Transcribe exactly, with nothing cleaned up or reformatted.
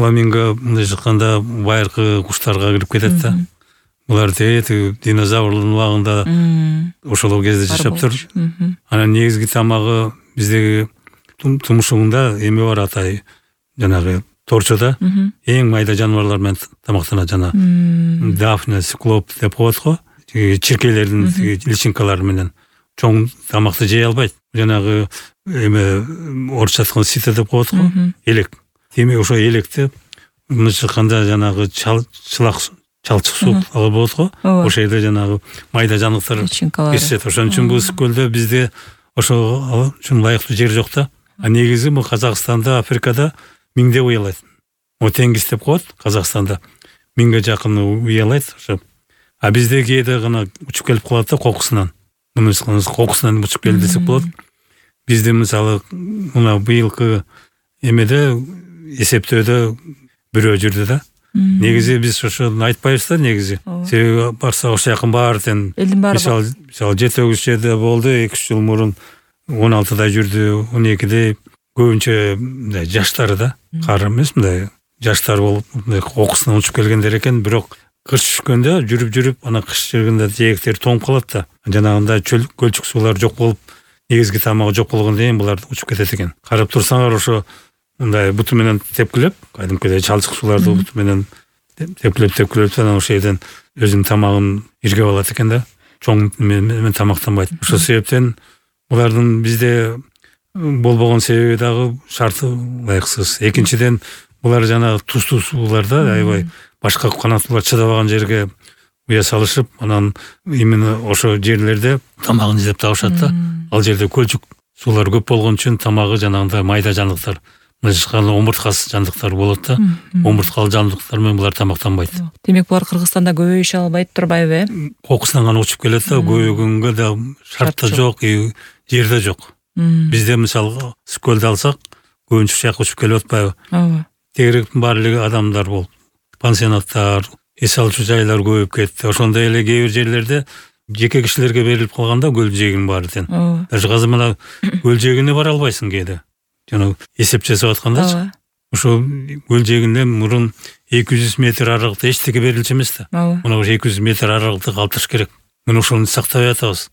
фламинго мындай жатканда байыркы куштарга кирип кетет да. Булар тети динозаврлардын убагында ошол кезде жашап тур. Анан негизги тамагы биздеги тумушугунда эме бар атай, жанагы торчода эң майда жаныбарлар менен тамактанат, жана дафна, циклоп деп коет го. Чиркейлердин личинкалары менен чоң тамакты жей албайт. Жанагы эме орусча айтканда сито деп коет го, элек. Демек ошо электи мындайча айтканда жанагы чылак чалчык суу болот го. Ошол жерде жанагы майда жаныктар кесет. Ошон үчүн бул ысык көлдө бизде ошо үчүн лайыктуу жер жок да. А негизи бул Казакстанда, Африкада миңдеп уялайт. О теңиз деп коет Казакстанда. Миңге жакын уялайт ошо. А бизде кээде гана учуп келип калат да кокусунан. Муну кокусунан учуп келди десек болот. Бизде мисалы мына быйылкы эмеде эсептөөдө бирөө жүрдү да. Негизи биз ошону айтпайбыз да негизи. Себеби барса ошо жакын баары тең. Мисалы, мисалы жети тогуз жерде болду, эки үч жыл мурун он алтыда жүрдү, он экиде көбүнчө мындай жаштар да. Кары эмес, мындай жаштар болуп, мындай кокусунан учуп келгендер экен, бирок кыш түшкөндө жүрүп-жүрүп ана кыш жүргөндө жээктер тоңуп калат да. Жанагындай чөл көлчүк суулар жок болуп, негизги тамагы жок болгондон кийин булар учуп кетет экен. Карап турсаңар ошо мындай буту менен тепкилеп, кайдымкыдай чалчык сууларды буту менен тепкилеп тепкилеп анан ошол жерден өзүнүн тамагын иргеп алат экен да. Чоң менен тамактанбайт. Ошол себептен булардын бизде болбогон себеби дагы шарты ылайыксыз. Экинчиден булар жанагы туздуу сууларда аябай башка канаттуулар чыдабаган жерге уя салышып, анан именно ошо жерлерде тамагын издеп табышат да. Ал жерде көлчүк суулар көп болгон үчүн тамагы жанагындай майда жандыктар, мындай омурткасыз жандыктар болот да. Омурткалуу жандыктар менен булар тамактанбайт. Демек булар Кыргызстанда көбөйүшө албайт турбайбы, э? Кокусунан гана учуп келет да, көбөгөнгө да шарт да жок, жер да жок. Бизде мисалы көлдү алсак, көбүнчө ушул жака учуп келип атпайбы? Ооба. Тегеректин баары эле адамдар болуп, пансионаттар, эс алчу жайлар көбөйүп кетти. Ошондой эле кээ бир жерлерде жеке кишилерге берилип калганда көл жээгинин баары тең. Даже азыр мына көл жээгине бара албайсың кээде. Жана эсеп жасап аткандачы. Ошо көл жээгинде мурун эки жүз метр аралыкта эчтеке берилчү эмес да. Мына ошо эки жүз метр аралыкты калтырыш керек. Мына ошону сактабай атабыз.